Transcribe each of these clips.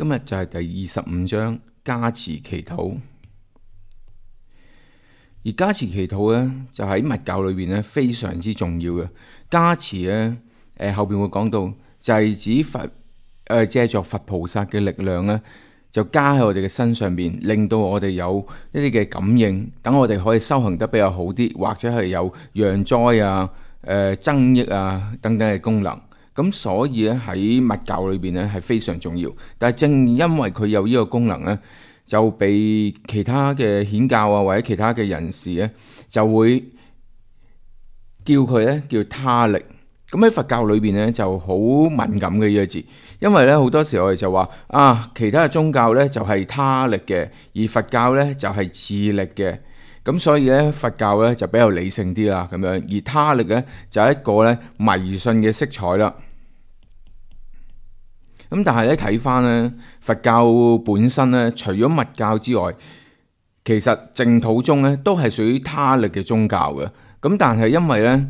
今日就係第25章加持祈禱。而加持祈禱咧，就喺密教裏邊咧非常之重要嘅。加持咧，後邊會講到，就係指佛借助佛菩薩嘅力量咧，就加喺我哋嘅身上邊，令到我哋有一啲嘅感應，等我哋可以修行得比較好啲，或者係有讓災啊、增益啊等等嘅功能。咁所以咧喺密教裏邊咧係非常重要。但係正因為佢有呢個功能咧，就被其他嘅顯教啊或者其他嘅人士咧就會叫佢咧叫他力。咁喺佛教裏邊咧就好敏感嘅呢個字，因為咧好多時我哋就話其他嘅宗教咧就係他力嘅，而佛教咧就係自力嘅。咁所以咧佛教咧就比較理性啲啦，咁樣，而他力咧就係一個咧迷信嘅色彩啦。咁但係咧睇翻咧佛教本身咧，除咗密教之外，其實淨土宗咧都係屬於他力嘅宗教嘅。咁但係因為咧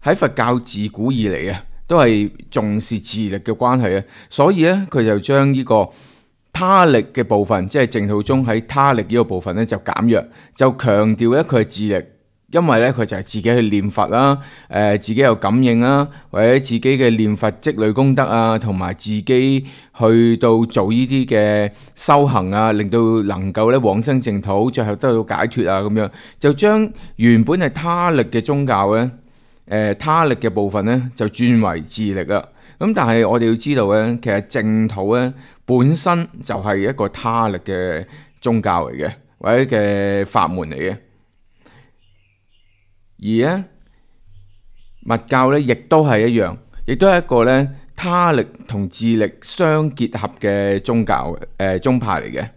喺佛教自古以嚟都係重視自力嘅關係，所以咧佢就將呢個他力嘅部分，即係淨土宗喺他力呢個部分咧就減弱，就強調咧佢係自力，因為咧佢就係自己去念佛啦，自己有感應啦，或者自己嘅念佛積累功德啊，同埋自己去到做呢啲嘅修行啊，令到能夠咧往生淨土，最後得到解脫啊，咁樣就將原本係他力嘅宗教咧，他力嘅部分咧就轉為自力啦。咁但係我哋要知道咧，其實淨土咧本身就係一個他力嘅宗教嚟嘅，或者嘅法門嚟嘅。而咧密教咧亦都係一樣，亦都係一個咧他力同自力相結合嘅宗教宗派嚟嘅。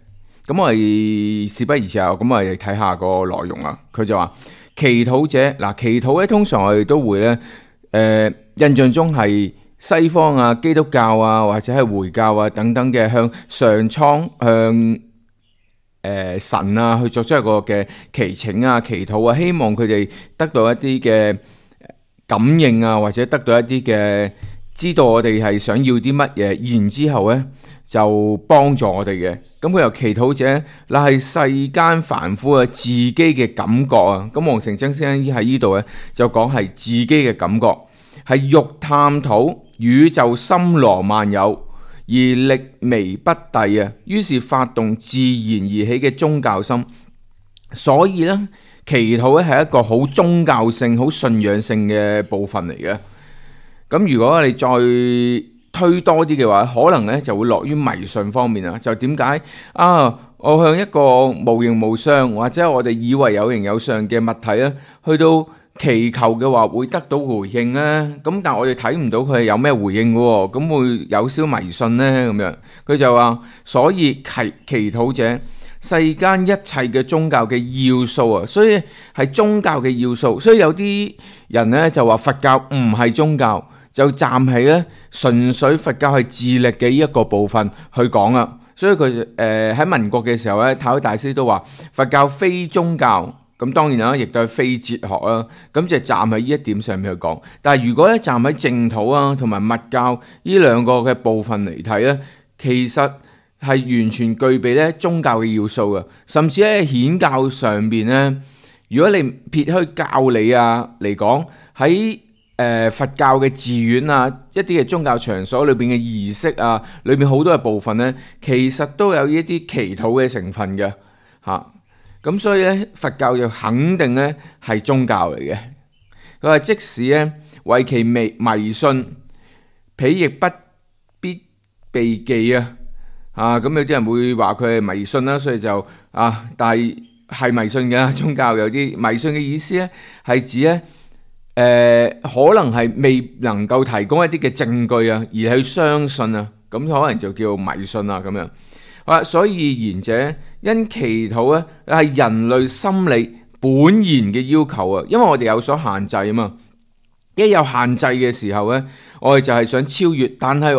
咁我哋事不宜遲，咁我哋睇下個內容啦。佢就話祈禱者，嗱，祈禱咧通常我哋都會咧印象中係西方啊、基督教啊或者係回教啊等等嘅向上蒼向神啊去作出一個嘅祈請啊、祈禱啊，希望佢哋得到一啲嘅感應啊，或者得到一啲嘅知道我哋係想要啲乜嘢，然之後咧就幫助我哋嘅。咁佢由祈禱者，嗱係世間凡夫啊自己嘅感覺啊。咁黃成真先生喺呢度咧就講係自己嘅感覺，係欲探討宇宙森羅萬有，而力微不逮啊，於是發動自然而起嘅宗教心。所以咧，祈禱咧係一個好宗教性、好信仰性嘅部分嚟嘅。咁如果你再推多啲嘅話，可能咧就會落於迷信方面啊。就點解我向一個無形無相或者我哋以為有形有相嘅物體咧，去到祈求嘅話會得到回應咧？咁但係我哋睇唔到佢係有咩回應嘅喎，咁會有少迷信咧咁樣。佢就話，所以祈禱者，世間一切嘅宗教嘅要素啊，所以係宗教嘅要素。所以有啲人咧就話佛教唔係宗教，就站喺咧純粹佛教係自力嘅一個部分去講啊。所以佢喺民國嘅時候咧，太虛大師都話佛教非宗教。咁當然啦，亦都係非哲學啦。咁就站喺呢一點上面去講。但係如果咧站喺淨土啊同埋密教呢兩個嘅部分嚟睇咧，其實係完全具備咧宗教嘅要素嘅。甚至喺顯教上邊咧，如果你撇開教理啊嚟講，喺佛教嘅寺院啊，一啲嘅宗教場所裏邊嘅儀式啊，裏邊好多嘅部分咧，其實都有一啲祈禱嘅成分嘅嚇。咁所以咧，佛教就肯定咧係宗教嚟嘅。佢話即使咧為其迷信，彼亦不必避忌啊。咁有啲人會話佢係迷信啦，所以就但係迷信嘅宗教有啲迷信嘅意思咧，係指咧可能係未能夠提供一啲嘅證據啊，而去相信啊，咁可能就叫迷信啊咁樣。所以言者因祈禱咧係人類心理本然嘅要求啊，因為我哋有所限制啊嘛。一有限制嘅時候咧，我哋就係想超越，但係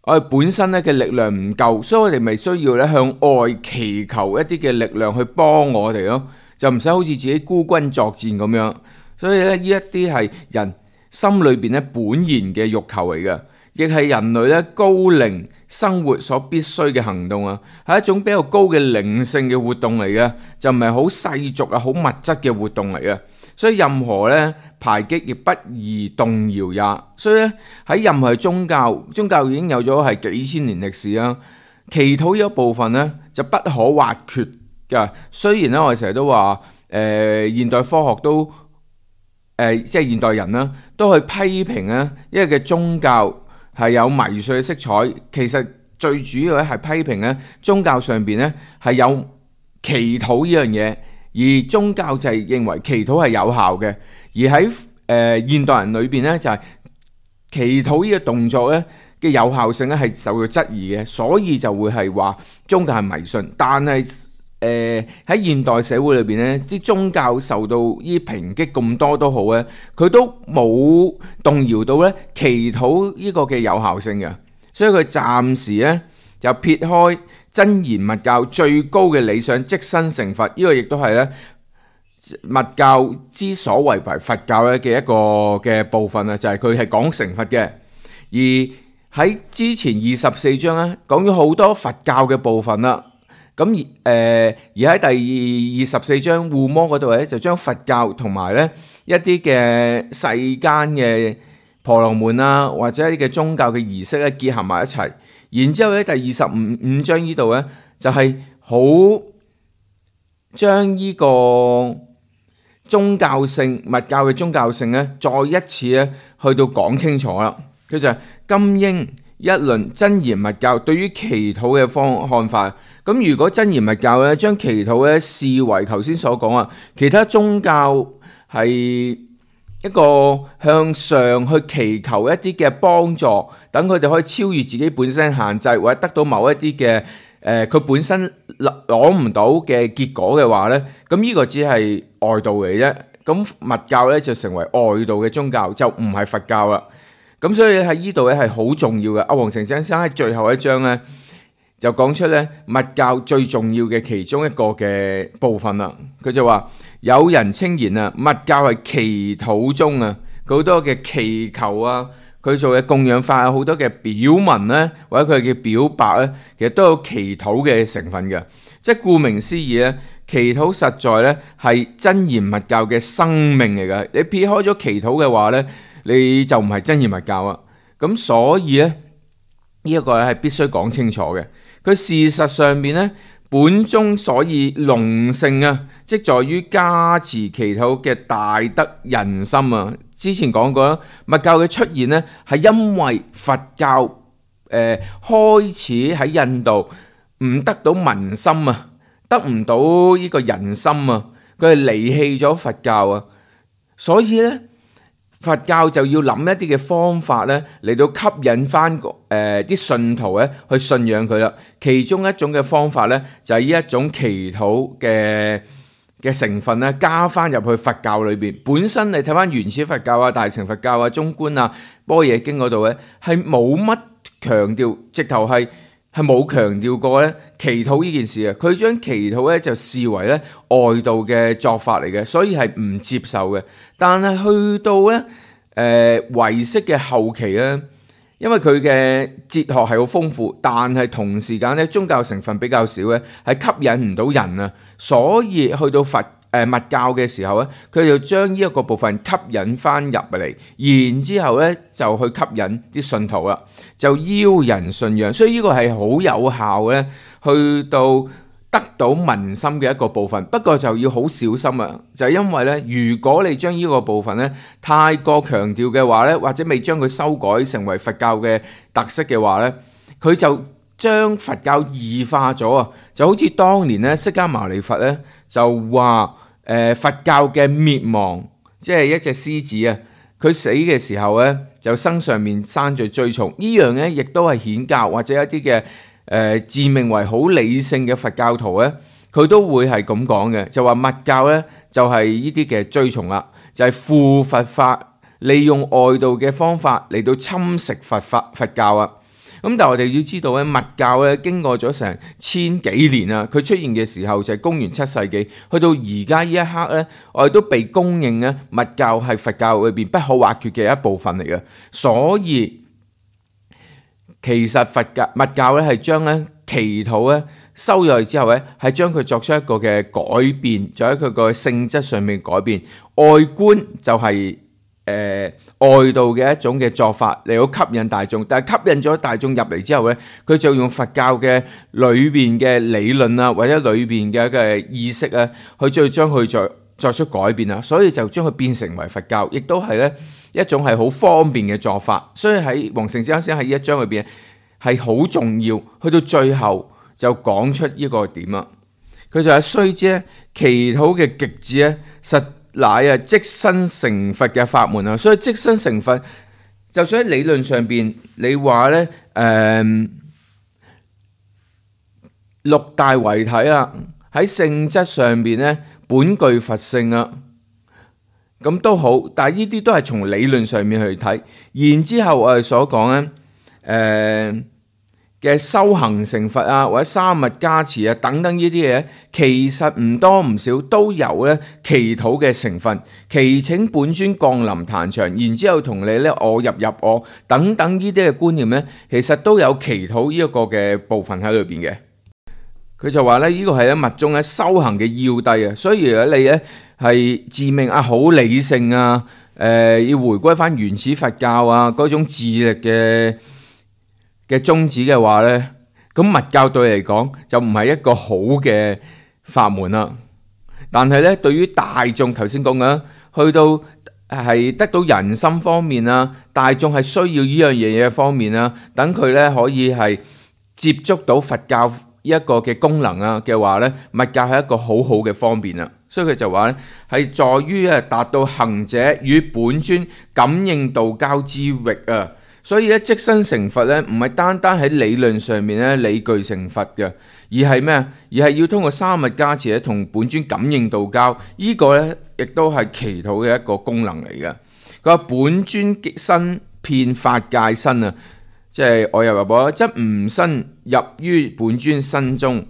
我哋本身咧嘅力量唔夠，所以我哋咪需要咧向外祈求一啲嘅力量去幫我哋咯，就唔使好似自己孤軍作戰咁樣。所以咧呢一啲係人心裏邊咧本然嘅欲求嚟嘅，亦係人類咧高靈生活所必須嘅行動啊，係一種比較高嘅靈性嘅活動嚟嘅，就唔係好世俗啊、好物質嘅活動嚟嘅。所以任何咧排擊亦不宜動搖也。所以咧喺任何宗教已經有咗係幾千年歷史啦。祈禱呢一部分咧就不可或缺㗎。雖然咧我哋成日都話現代科學都即係現代人啦，都去批評咧一個嘅宗教係有迷信嘅色彩。其實最主要咧係批評咧宗教上邊咧係有祈禱呢樣嘢。而宗教就係認為祈禱係有效嘅，而喺現代人裏邊咧就係祈禱呢個動作咧嘅有效性咧係受到質疑嘅，所以就會係話宗教係迷信。但係喺現代社會裏邊咧，啲宗教受到呢抨擊咁多都好咧，佢都冇動搖到咧祈禱呢個嘅有效性嘅，所以佢暫時咧就撇開真言密教最高嘅理想，即身成佛。呢個亦都係咧密教之所為佛教咧嘅一個嘅部分啊，就係佢係講成佛嘅。而喺之前24章咧講咗好多佛教嘅部分啦。咁而喺第24章護摩嗰度咧，就將佛教同埋咧一啲嘅世間嘅婆羅門啊，或者一啲嘅宗教嘅儀式咧結合埋一齊。然之後咧，第25章呢度咧，就係好將呢個宗教性密教嘅宗教性咧，再一次咧去到講清楚啦。佢就係今應一論真言密教對於祈禱嘅看法。咁如果真言密教咧將祈禱咧視為頭先所講啊，其他宗教係一個向上去祈求一啲嘅幫助，等佢哋可以超越自己本身限制，或者得到某一啲嘅佢本身攞唔到嘅結果嘅話咧，咁呢個只係外道嚟啫。咁密教咧就成為外道嘅宗教，就唔係佛教啦。咁所以喺呢度咧係好重要嘅。阿黃成先生喺最後一章咧就講出咧密教最重要嘅其中一個嘅部分啦。佢就話有人稱言啊，密教係祈禱中啊，好多嘅祈求啊，佢做嘅供養法有好多嘅表文咧，或者佢嘅表白咧，其實都有祈禱嘅成分嘅。即係顧名思義咧，祈禱實在咧係真言密教嘅生命嚟㗎。你撇開咗祈禱嘅話咧，你就唔係真言密教啊。咁所以咧呢一個咧係必須講清楚嘅。佢事實上面咧本宗所以隆盛啊，即在於加持祈禱嘅大德仁心啊。之前講過啦，密教嘅出現咧係因為佛教開始喺印度唔得到民心啊，得唔到呢個人心啊，佢係離棄咗佛教啊，所以咧佛教就要諗一啲嘅方法咧嚟到吸引翻啲信徒咧去信仰佢啦。其中一種嘅方法咧就係呢一種祈禱嘅成分咧加翻入去佛教裏邊。本身你睇翻原始佛教啊、大乘佛教啊、中觀啊、般若經嗰度咧係冇乜強調，直頭係冇強調過咧祈禱呢件事啊。佢將祈禱咧就視為咧外道嘅作法嚟嘅，所以係唔接受嘅。但係去到咧唯識嘅後期咧，因為佢嘅哲學係好豐富，但係同時間咧宗教成分比較少咧，係吸引唔到人啊。所以去到密教嘅時候咧，佢就將呢一個部分吸引翻入嚟，然之後咧就去吸引啲信徒啦，就邀人信仰。所以呢個係好有效咧，去到得到民心嘅一個部分。不過就要好小心啊，就係因為咧，如果你將呢個部分咧太過強調嘅話咧，或者未將佢修改成為佛教嘅特色嘅話咧，佢就將佛教異化咗啊！就好似當年咧釋迦牟尼佛咧就話佛教嘅滅亡，即係一隻獅子啊，佢死嘅時候咧就身上面生著蛆蟲。呢樣咧亦都係顯教或者一啲嘅自命為好理性嘅佛教徒咧，佢都會係咁講嘅，就話密教咧就係呢啲嘅蛆蟲啦，就係附佛法，利用外道嘅方法嚟到侵蝕佛教啊。咁但係我哋要知道咧，密教咧經過咗成千幾年啊，佢出現嘅時候就係公元7世紀，去到而家呢一刻咧，我哋都被公認咧，密教係佛教裏邊不可或缺嘅一部分嚟嘅。所以其實佛教咧係將咧祈禱咧收入去之後咧，係將佢作出一個嘅改變，就喺佢個性質上面改變。外觀就係外道嘅一種嘅做法嚟到吸引大眾，但係吸引咗大眾入嚟之後咧，佢就用佛教嘅裏邊嘅理論啊，或者裏邊嘅一個意識啊，去再將佢作出改變啊，所以就將佢變成為佛教，亦都係咧一種係好方便嘅做法。所以喺黃成智先生喺呢一章裏邊係好重要，去到最後就講出呢個點啊。佢就係須知祈禱嘅極致咧，實乃啊即身成佛嘅法門啊。所以即身成佛，就算喺理論上邊，你話咧六大為體啊，喺性質上邊咧本具佛性啊，咁都好，但係呢啲都係從理論上面去睇。然之後我哋所講咧嘅修行成佛啊，或者三密加持啊等等呢啲嘢，其實唔多唔少都有咧祈禱嘅成分。祈請本尊降臨壇場，然之後同你咧我入我等等呢啲嘅觀念咧，其實都有祈禱呢一個嘅部分喺裏邊嘅。佢就話咧，呢個係喺密宗咧修行嘅要諦啊。所以如果你咧係自命啊好理性啊，要回歸翻原始佛教啊嗰種自力嘅宗旨嘅話咧，咁密教對你嚟講就唔係一個好嘅法門啦。但係咧，對於大眾頭先講緊，去到係得到人心方面啊，大眾係需要呢樣嘢嘅方面啊，等佢咧可以係接觸到佛教一個嘅功能啊嘅話咧，密教係一個好好嘅方便啊。所以佢就話咧，係在於達到行者與本尊感應道交之域啊。所以咧，即身成佛咧，唔係單單喺理論上面咧理據成佛嘅，而係咩啊？而係要通過三密加持咧，同本尊感應道交。呢個咧，亦都係祈禱嘅一個功能嚟嘅。佢話本尊身遍法界身啊，即係我入我，則吾身入於本尊身中。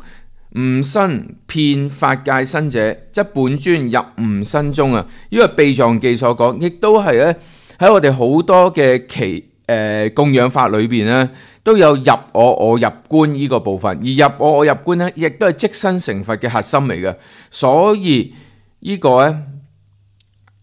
吾身遍法界身者，則本尊入吾身中啊。呢個秘藏記所講，亦都係咧喺我哋好多嘅供養法裏邊咧，都有入我入觀呢個部分，而入我入觀咧，亦都係即身成佛嘅核心嚟嘅。所以呢個咧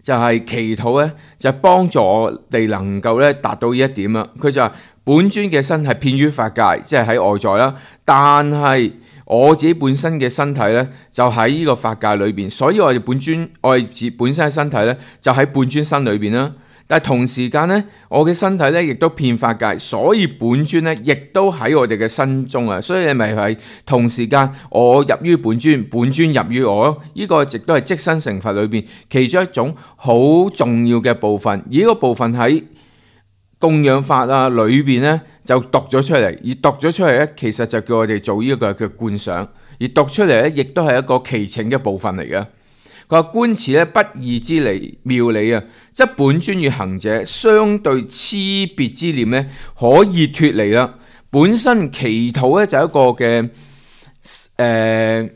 就係祈禱咧，就係幫助我哋能夠咧達到呢一點啦。佢就話本尊嘅身係遍於法界，即係喺外在啦，但係我自己本身嘅身體咧就喺呢個法界裏邊，所以我哋本尊我哋自本身嘅身體咧就喺本尊身裏邊啦。但係同時間咧，我嘅身體咧亦都遍法界，所以本尊咧亦都喺我哋嘅身中啊。所以你咪係同時間我入於本尊，本尊入於我咯。呢個亦都係即身成佛裏邊其中一種好重要嘅部分。而呢個部分喺供養法啊裏邊咧就讀咗出嚟，而讀咗出嚟咧其實就叫我哋做呢個嘅觀想，而讀出嚟咧亦都係一個祈請嘅部分嚟嘅。佢話觀此咧不二之理妙理啊，則本尊與行者相對差別之念咧可以脫離啦。本身祈禱咧就係一個嘅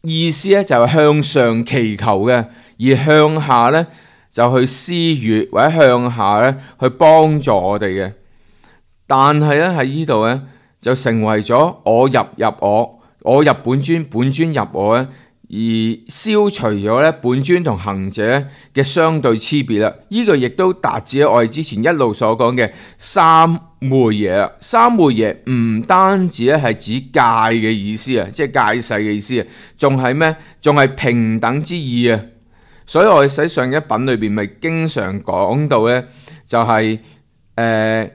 意思咧就係向上祈求嘅，而向下咧就去施予或者向下咧去幫助我哋嘅。但係咧喺呢度咧就成為咗我入我入本尊，本尊入我咧。而消除咗咧本尊同行者嘅相對差別啦，呢個亦都達至我哋之前一路所講嘅三昧耶啦。三昧耶唔單止咧係指戒嘅意思啊，即係戒誓嘅意思啊，仲係咩？仲係平等之意啊。所以我哋喺上一品裏邊咪經常講到咧，就係喺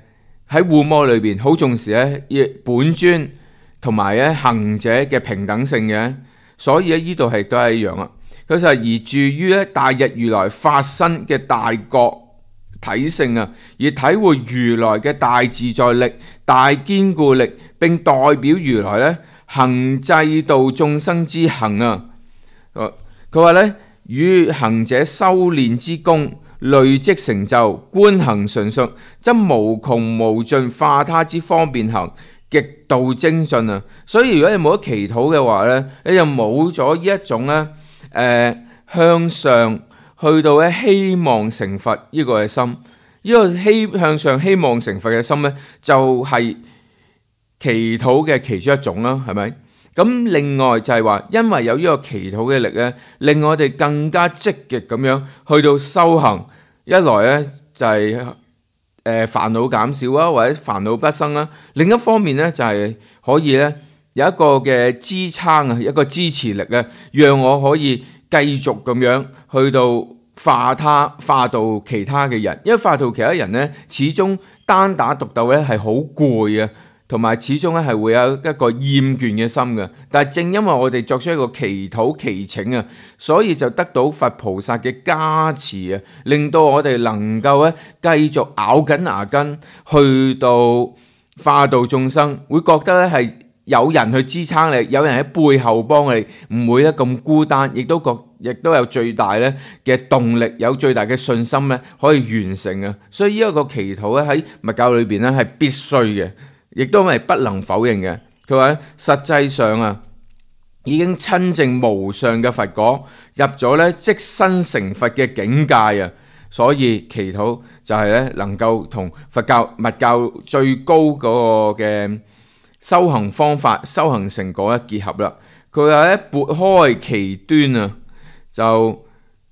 護摩裏邊好重視咧本尊同埋咧行者嘅平等性嘅。所以咧，呢度係都係一樣啦。佢就係而住於咧大日如來法身嘅大覺體性啊，而體會如來嘅大自在力、大堅固力，並代表如來咧行濟度眾生之行啊。佢話咧，與行者修練之功累積成就，觀行純熟，則無窮無盡化他之方便行。極度精進啊！所以如果你冇得祈禱嘅話咧，你就冇咗呢一種咧向上去到咧希望成佛呢個嘅心。呢個向上希望成佛嘅心咧，就係祈禱嘅其中一種啦，係咪？咁另外就係話，因為有呢個祈禱嘅力咧，令我哋更加積極咁樣去到修行。一來咧就係煩惱減少啊，或者煩惱不生啦。另一方面咧就係可以咧有一個嘅支撐啊，一個支持力啊，讓我可以繼續咁樣去到化到其他嘅人。因為化到其他人咧，始終單打獨鬥咧係好攰啊。同埋始終咧係會有一個厭倦嘅心嘅，但係正因為我哋作出一個祈禱祈請啊，所以就得到佛菩薩嘅加持啊，令到我哋能夠咧繼續咬緊牙根去到化度眾生，會覺得咧係有人去支撐你，有人喺背後幫你，唔會咧咁孤單，亦都有最大咧嘅動力，有最大嘅信心咧可以完成啊。所以呢一個祈禱咧喺密教裏邊咧係必須嘅。亦都係不能否認嘅。佢話實際上啊，已經親證無上嘅佛果，入咗咧即身成佛嘅境界啊。所以祈禱就係咧能夠同佛教密教最高嗰個嘅修行方法、修行成果一結合啦。佢話咧撥開其端啊，就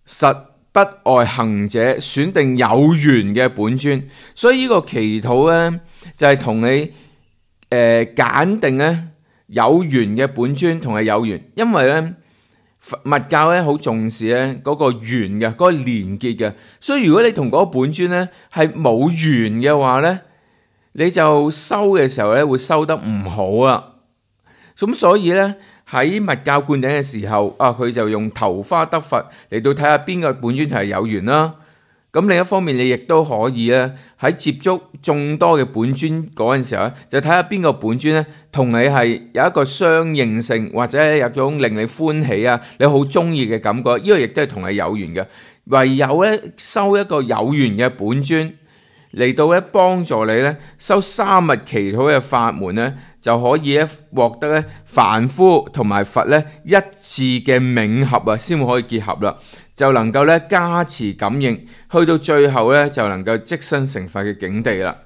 實不外行者選定有緣嘅本尊。所以呢個祈禱咧就係同你揀定咧有緣嘅本尊同係有緣，因為咧密教咧好重視咧嗰個緣嘅嗰個連結嘅，所以如果你同嗰個本尊咧係冇緣嘅話咧，你就修嘅時候咧會修得唔好啊。咁所以咧喺密教灌頂嘅時候啊，佢就用頭花得佛嚟到睇下邊個本尊係有緣啦。咁另一方面，你亦都可以咧喺接觸眾多嘅本尊嗰陣時候咧，就睇下邊個本尊咧同你係有一個相應性，或者有種令你歡喜啊，你好中意嘅感覺。呢個亦都係同你有緣嘅。唯有咧修一個有緣嘅本尊嚟到咧幫助你咧修三密祈禱嘅法門咧，就可以咧獲得咧凡夫同埋佛咧一致嘅冥合啊，先會可以結合啦。就能夠咧加持感應，去到最後咧就能夠即身成佛嘅境地啦。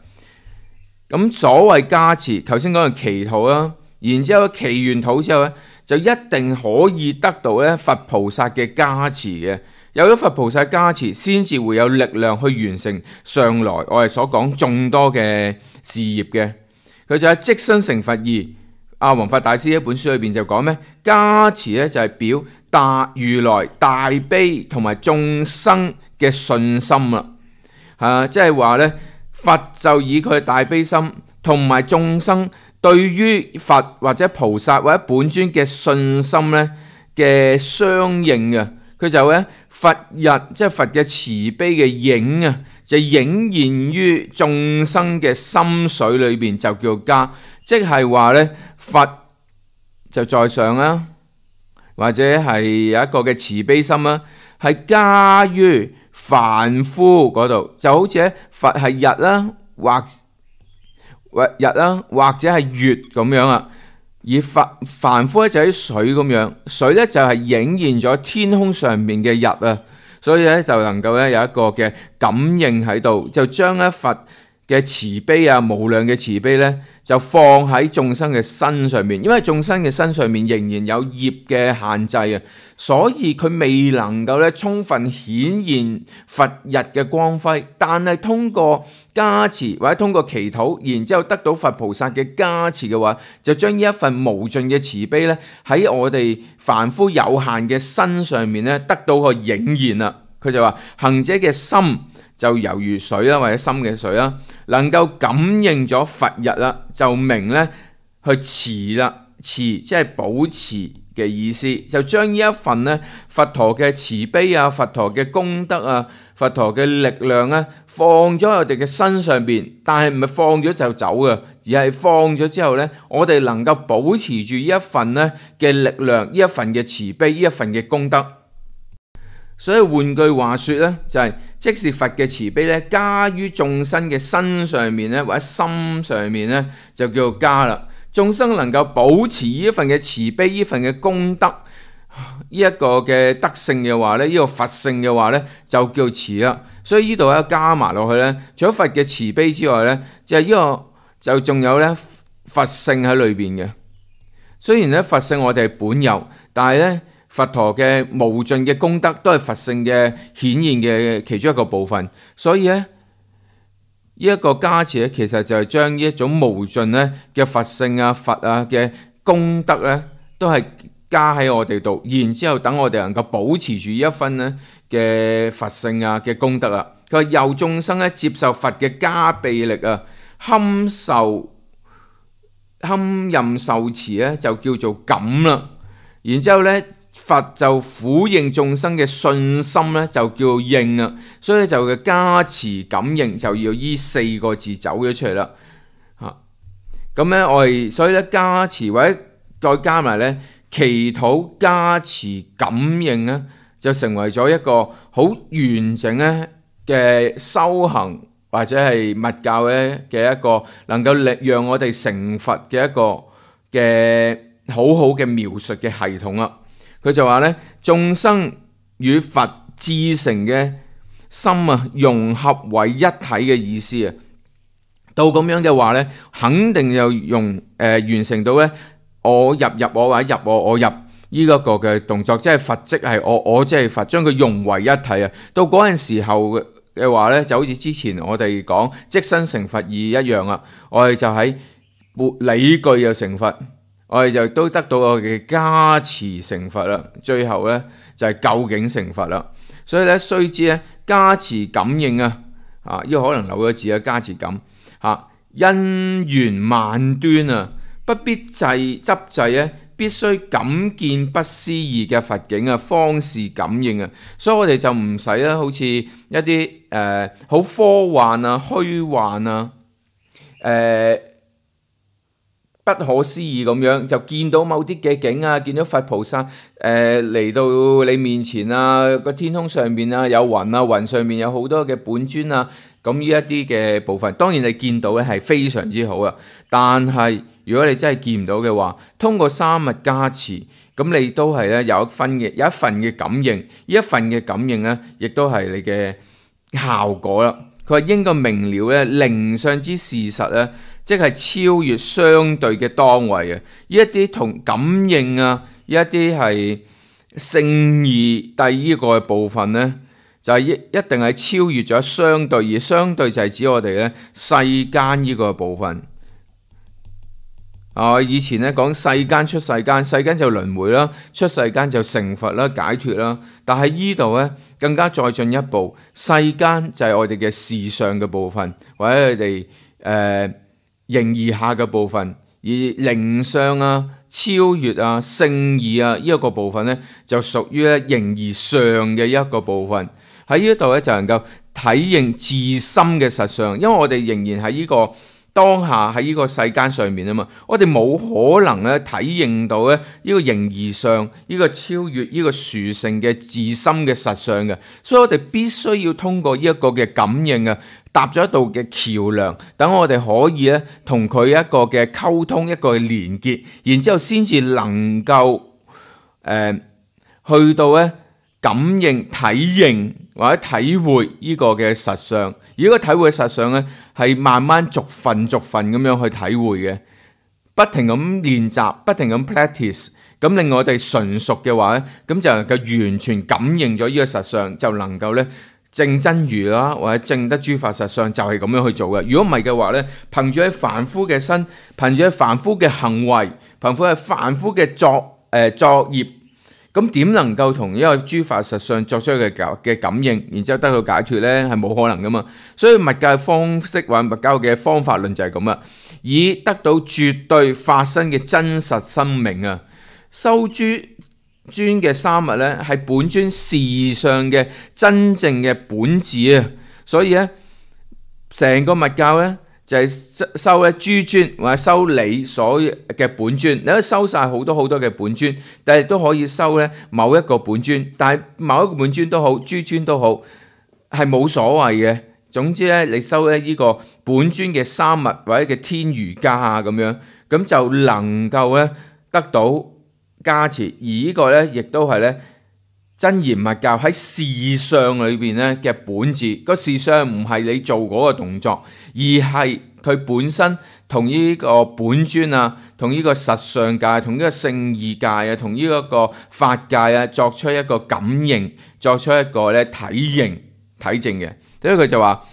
咁所謂加持，頭先講嘅祈禱啦，然之後祈完禱之後咧，就一定可以得到咧佛菩薩嘅加持嘅。有咗佛菩薩加持，先至會有力量去完成上來我哋所講眾多嘅事業嘅。佢就係即身成佛二。阿弘法大師一本書裏邊就講咩？加持咧就係表大如來大悲同埋眾生嘅信心啦。即係話咧，佛就以佢大悲心同埋眾生對於佛或者菩薩或者本尊嘅信心咧嘅相應嘅。佢就咧佛日即係佛嘅慈悲嘅影啊，就影現於眾生嘅心水裏邊，就叫加。即係話咧，佛就在上啦，或者係有一個嘅慈悲心啦，係加於凡夫嗰度，就好似咧佛係日啦，或者係月咁樣啊。而凡夫咧就喺水咁樣，水咧就係影現咗天空上面嘅日啊，所以咧就能夠咧有一個嘅感應喺度，就將咧佛嘅慈悲啊，無量嘅慈悲咧，就放喺眾生嘅身上面。因為眾生嘅身上面仍然有業嘅限制啊，所以佢未能夠咧充分顯現佛日嘅光輝。但係通過加持或者通過祈禱，然之後得到佛菩薩嘅加持嘅話，就將呢一份無盡嘅慈悲咧喺我哋凡夫有限嘅身上面咧得到個影現啦。佢就話行者嘅心就猶如水啦，或者深嘅水啦，能夠感應咗佛日啦，就明咧去持啦，持即係保持嘅意思，就將呢一份咧佛陀嘅慈悲啊、佛陀嘅功德啊、佛陀嘅力量啊，放咗喺我哋嘅身上邊。但係唔係放咗就走嘅，而係放咗之後咧，我哋能夠保持住呢一份咧嘅力量、呢一份嘅慈悲、呢一份嘅功德。所以換句話說咧，就係即是佛嘅慈悲咧，加於眾生嘅身上面咧，或者心上面咧，就叫做加啦。眾生能夠保持呢一份嘅慈悲、呢份嘅功德、呢一個嘅德性嘅話咧，呢個佛性嘅話咧，就叫慈啦。所以呢度咧加埋落去咧，除咗佛嘅慈悲之外咧，就係呢個就仲有咧佛性喺裏邊嘅。雖然咧佛性我哋係本有，但係咧佛陀嘅無盡嘅功德都係佛性嘅顯現嘅其中一個部分。所以咧呢一個加持咧，其實就係將呢一種無盡咧嘅佛性啊、佛啊嘅功德咧，都係加喺我哋度，然之後等我哋能夠保持住呢一分咧嘅佛性啊嘅功德啊。佢話由眾生咧接受佛嘅加被力啊，堪任受持咧就叫做感啦。然之後咧佛就俯應眾生嘅信心咧就叫應啊。所以就嘅加持感應就要依4個字走咗出嚟啦。咁咧我哋所以咧加持或者再加埋咧祈禱加持感應咧，就成為咗一個好完整咧嘅修行或者係密教咧嘅一個能夠讓我哋成佛嘅一個嘅好好嘅描述嘅系統啦。佢就話咧眾生與佛至誠嘅心啊融合為一體嘅意思啊。到咁樣嘅話咧，肯定就完成到咧我入我或者入我入呢一個嘅動作，即係佛即係我即係佛，將佢融為一體啊。到嗰陣時候嘅話咧，就好似之前我哋講即身成佛義一樣啊。我哋就喺理據又成佛，我哋就都得到我哋嘅加持成佛啦。最後咧就係究竟成佛啦。所以咧須知咧加持感應啊，呢個可能漏咗字啊，加持感因緣萬端啊，不必執制咧，必須感見不思議嘅佛境啊，方是感應啊。所以我哋就唔使啦，好似一啲好科幻啊、虛幻啊、不可思議咁樣，就見到某啲嘅景啊，見到佛菩薩嚟到你面前啊，個天空上面啊有雲啊，雲上面有好多嘅本尊啊。咁呢一啲嘅部分，當然你見到咧係非常之好啊。但係如果你真係見唔到嘅話，通過三密加持，咁你都係咧有一份嘅感應。呢一份嘅感應咧，亦都係你嘅效果啦。佢話應該明了咧，靈相之事實咧，即係超越相對嘅當位啊。呢一啲同感應啊，呢一啲係聖義第呢個嘅部分咧。就係一定係超越咗相對，而相對就係指我哋咧世間呢個部分。以前咧講世間出世間，世間就輪迴啦，出世間就成佛啦、解脫啦。但係呢度咧更加再進一步，世間就係我哋嘅事上嘅部分，或者佢哋形而下嘅部分，而靈相啊、超越啊、聖義啊呢一個部分咧，就屬於咧形而上嘅一個部分。喺呢度咧就能夠體認自心嘅實相，因為我哋仍然喺呢個當下喺呢個世間上面啊嘛，我哋冇可能咧體認到咧呢個形而上呢個超越呢個殊勝嘅自心嘅實相嘅，所以我哋必須要通過呢一個嘅感應啊，搭咗一道嘅橋梁，等我哋可以咧同佢一個嘅溝通，一個嘅連結，然之後先至能夠去到咧感應、體認或者體會呢個嘅實相，而呢個體會嘅實相咧，係慢慢逐份咁樣去體會嘅，不停咁練習，不停咁 practice， 咁令我哋純熟嘅話咧，咁就能夠完全感應咗呢個實相，就能夠咧證真如啦，或者證得諸法實相，就係咁樣去做嘅。如果唔係嘅話咧，憑住喺凡夫嘅身，憑住喺凡夫嘅行為，憑住喺凡夫嘅作業。咁點能夠同呢個諸法實相作出嘅感應，然之後得到解脫呢？係冇可能噶嘛。所以密教嘅方式或密教嘅方法論就係咁啦，以得到絕對法身嘅真實生命啊，修諸尊嘅三密呢，係本尊事上嘅真正嘅本質啊。所以呢，成個密教呢，就係收咧諸尊或者收你所嘅本尊，你可以收晒好多嘅本尊，但係都可以收咧某一個本尊，但係某一個本尊都好，諸尊都好，係冇所謂嘅。總之咧，你收咧呢個本尊嘅三密或者嘅天瑜伽啊咁樣，咁就能夠咧得到加持，而呢個咧亦都係咧真言密教喺事相裏邊咧嘅本質。個事相唔係你做嗰個動作，而係佢本身同呢個本尊啊，同呢個實相界，同呢個聖義界啊，同呢一個法界啊，作出一個感應，作出一個咧體證嘅。所以佢就話，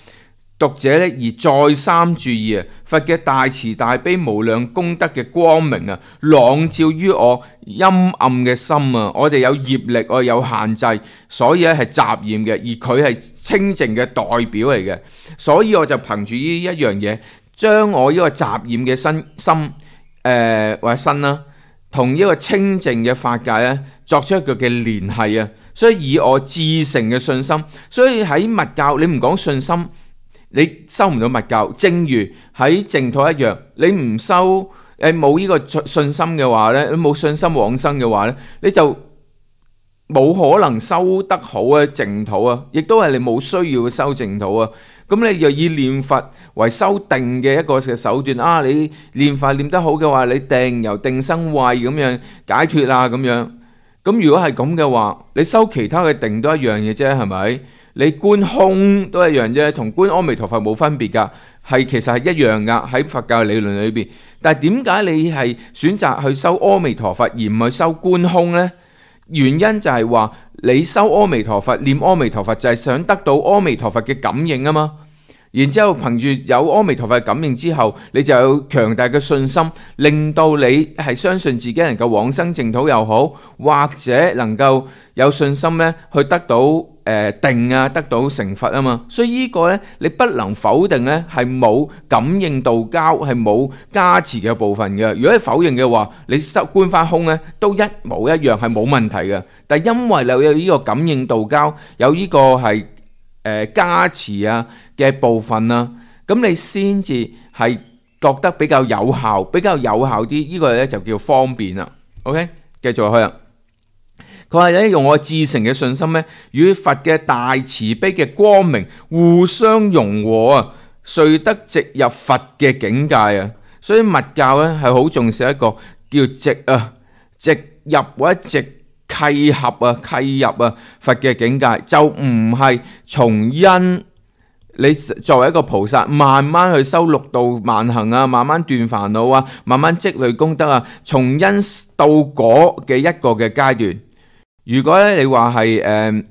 讀者咧而再三注意啊，佛嘅大慈大悲無量功德嘅光明啊，朗照於我陰暗嘅心啊。我哋有業力，我哋有限制，所以咧係雜染嘅，而佢係清淨嘅代表嚟嘅。所以我就憑住呢一樣嘢，將我呢個雜染嘅心或者身啦，同呢個清淨嘅法界咧，作出一個嘅聯繫啊。所以以我至誠嘅信心，所以喺密教你唔講信心，你收唔到密教。正如喺淨土一樣，你唔收冇呢個信心嘅話咧，你冇信心往生嘅話咧，你就冇可能修得好啊淨土啊，亦都係你冇需要修淨土啊。咁你又以念佛為修定嘅一個嘅手段啊，你念佛念得好嘅話，你定由定生慧咁樣解脫啊咁樣。咁如果係咁嘅話，你修其他嘅定都一樣嘅啫，係咪？你觀空都一樣啫，同觀阿彌陀佛冇分別噶，其實係一樣噶喺佛教理論裏邊。但係點解你係選擇去修阿彌陀佛而唔去修觀空呢？原因就係話你修阿彌陀佛念阿彌陀佛就係想得到阿彌陀佛嘅感應啊嘛。然之後憑住有阿彌陀佛嘅感應之後，你就有強大嘅信心，令到你係相信自己能夠往生淨土又好，或者能夠有信心咧去得到定啊，得到成佛啊嘛。所以呢個咧你不能否定咧係冇感應道交，係冇加持嘅部分嘅。如果你否認嘅話，你修觀翻空咧都一模一樣係冇問題嘅。但係因為你有呢個感應道交，有呢個係加持啊嘅部分啊，咁你先至係覺得比較有效啲，呢個咧就叫方便啦。OK， 繼續落去啦。佢話咧用我至誠嘅信心咧，與佛嘅大慈悲嘅光明互相融合啊，遂得直入佛嘅境界啊。所以密教咧係好重視一個叫直入或者直契入佛嘅境界，就唔係從因你作為一個菩薩慢慢去修六度萬行啊，慢慢斷煩惱啊，慢慢積累功德啊，從因到果嘅一個嘅階段。如果咧你話係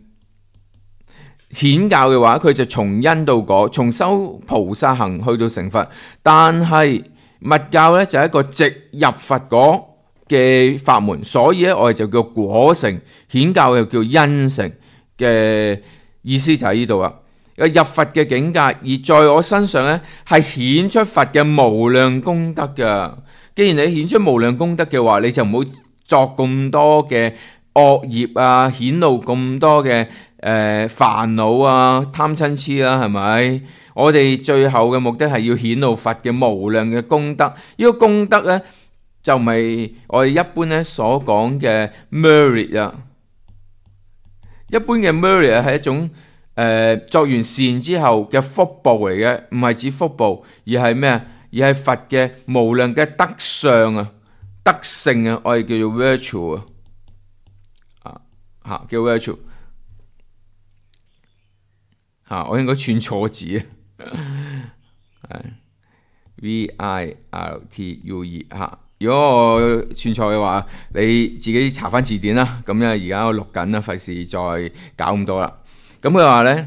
顯教嘅話，佢就從因到果，從修菩薩行去到成佛。但係密教咧就係一個直入佛果嘅法門，所以咧我哋就叫果成，顯教又叫因成嘅意思就喺呢度啦。入佛嘅境界，而在我身上咧係顯出佛嘅無量功德噶。既然你顯出無量功德嘅話，你就唔好作咁多嘅惡業啊，顯露咁多嘅煩惱啊，貪嗔痴啦，係咪？我哋最後嘅目的係要顯露佛嘅無量嘅功德。呢個功德咧就唔係我哋一般咧所講嘅 merit 啊。一般嘅 merit 係一種作完善之後嘅福報嚟嘅，唔係指福報，而係咩啊？而係佛嘅無量嘅德相啊、德性啊，我哋叫做 virtue 啊，叫 virtue 我應該串錯字啊，virtue 如果我串錯嘅話，你自己查翻字典啦。咁咧而家我錄緊啦，費事再搞咁多啦。咁佢話呢，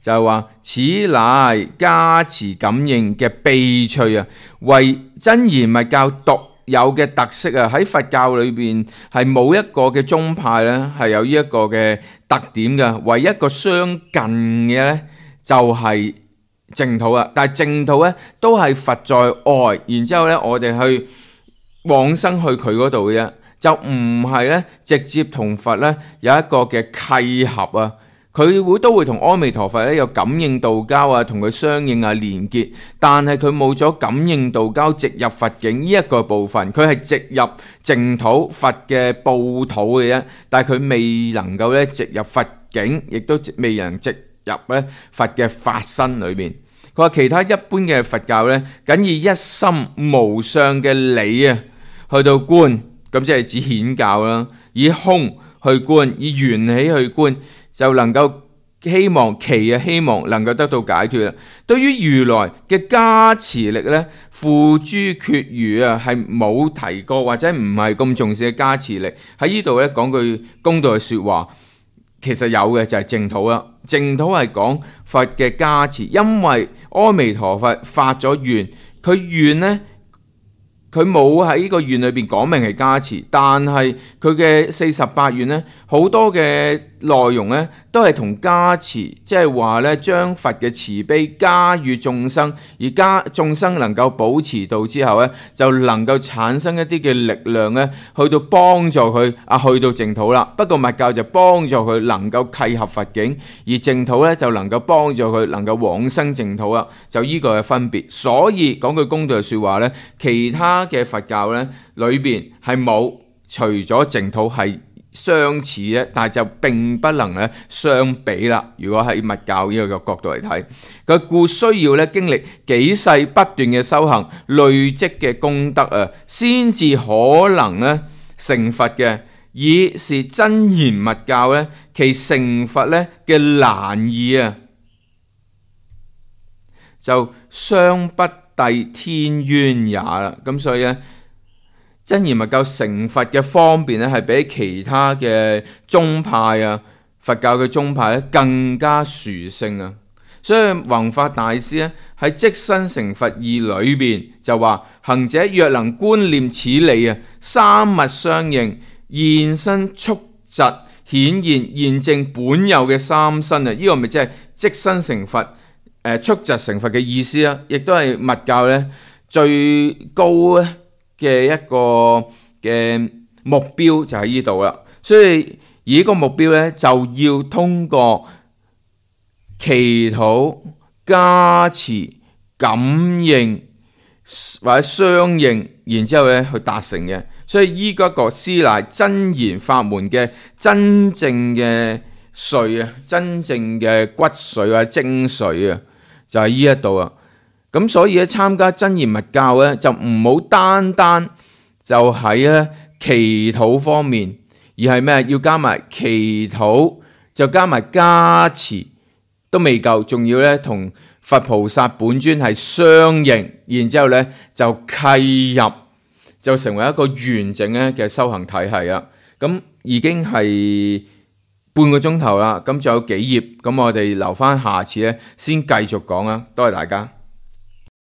就係話此乃加持感應嘅秘趣啊，為真言密教獨有嘅特色啊。喺佛教裏邊係冇一個嘅宗派呢係有呢一個嘅特點嘅，唯一一個相近嘅呢就係淨土啊。但係淨土呢都係佛在外，然之後呢我哋去往生去佢嗰度嘅啫，就唔係咧直接同佛咧有一個嘅契合啊。佢都會同阿彌陀佛咧有感應道交啊，同佢相應啊連結，但係佢冇咗感應道交直入佛境呢一個部分，佢係直入淨土佛嘅報土嘅啫，但係佢未能夠咧直入佛境，亦都未能直入咧佛嘅法身裏面。佢話其他一般嘅佛教咧，僅以一心無相嘅理啊去到觀，咁即係指顯教啦，以空去觀，以緣起去觀，就能夠希望能夠得到解脫啦。對於如來嘅加持力咧，付諸闕如啊，係冇提過或者唔係咁重視嘅加持力。喺呢度咧講句公道嘅說話，其實有嘅就係淨土啦。淨土係講佛嘅加持，因為阿彌陀佛發咗願，佢願呢，佢冇喺呢個願裏邊講明係加持，但係佢嘅48願呢，好多嘅內容呢都係同加持，即係話呢將佛嘅慈悲加予眾生，而眾生能夠保持到之後呢，就能夠產生一啲嘅力量呢，去到幫助佢去到淨土啦。不過密教就幫助佢能夠契合佛境，而淨土呢就能夠幫助佢能夠往生淨土啦。就呢個嘅分別。所以講句公道嘅說話呢，其他嘅佛教呢裏邊係冇，除咗淨土係相似嘅，但係就並不能咧相比啦。如果喺密教呢個角度嚟睇，佢故需要咧經歷幾世不斷嘅修行，累積嘅功德啊，先至可能咧成佛嘅。以是真言密教咧，其成佛咧嘅難易啊，就相不抵天淵也啦。咁所以咧，真言密教成佛嘅方便咧，係比其他嘅宗派啊，佛教嘅宗派咧更加殊勝啊。所以弘法大師咧喺即身成佛義裏邊就話：行者若能觀念此理啊，三密相應，現身速疾顯現證本有嘅三身啊！呢個咪即係即身成佛、速疾成佛嘅意思啊！亦都係密教咧最高咧嘅一個嘅目標就喺呢度啦。所以而呢個目標咧就要通過祈禱、加持、感應或者相應，然之後咧去達成嘅。所以依個師乃真言法門嘅真正嘅髓啊，真正嘅骨髓或者精髓啊，就係呢一度啊。咁所以咧參加真言密教咧，就唔好單單就喺咧祈禱方面，而係咩？要加埋祈禱，就加埋加持都未夠，仲要咧同佛菩薩本尊係相應，然之後咧就契入。就成為一個完整咧嘅修行體系啊！咁已經係半個鐘頭啦，咁仲有幾頁，咁我哋留翻下次咧先繼續講啊！多謝大家。